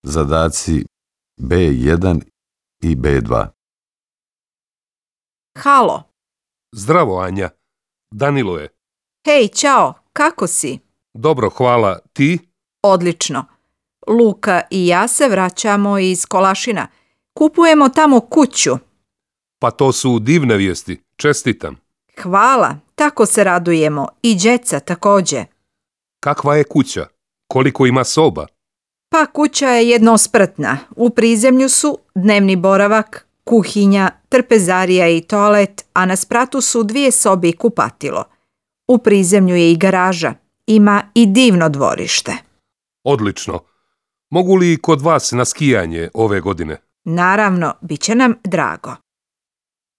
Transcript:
Zadaci B1 i B2. Halo. Zdravo, Anja. Danilo je. Hej, čao, kako si? Dobro, hvala. Ti? Odlično. Luka i ja se vraćamo iz Kolašina. Kupujemo tamo kuću. Pa to su divne vijesti. Čestitam. Hvala, tako se radujemo. I djeca također. Kakva je kuća? Koliko ima soba? Pa kuća je jednospratna. U prizemlju su dnevni boravak, kuhinja, trpezarija i toalet, a na spratu su 2 sobe i kupatilo. U prizemlju je i garaža. Ima i divno dvorište. Odlično. Mogu li kod vas na skijanje ove godine? Naravno, bit će nam drago.